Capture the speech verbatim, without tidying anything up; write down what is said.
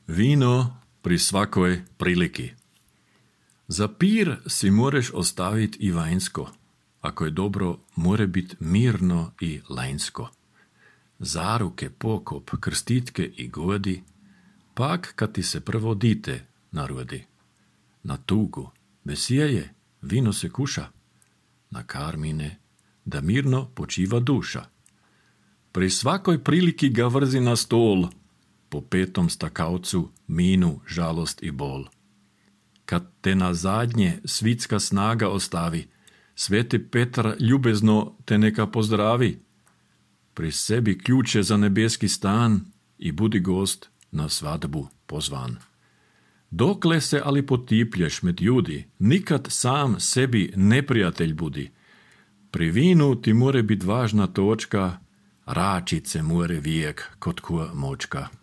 Vino pri svakoj priliki. Za pir si moreš ostaviti i vanjsko. Ako je dobro, more biti mirno i lanjsko. Zaruke, pokop, krstitke i godi, pak kad ti se prvo dite narodi. Na tugu, vesije, vino se kuša. Na karmine, da mirno počiva duša. Pri svakoj priliki ga vrzi na stol, po petom stakavcu minu, žalost i bol. Kad te na zadnje svitska snaga ostavi, sveti Petar ljubezno te neka pozdravi. Pri sebi ključe za nebeski stan i budi gost na svadbu pozvan. Dokle se ali potiplješ med ljudi, nikad sam sebi neprijatelj budi. Pri vinu ti more bit važna točka, račice more vijek kod kuja močka.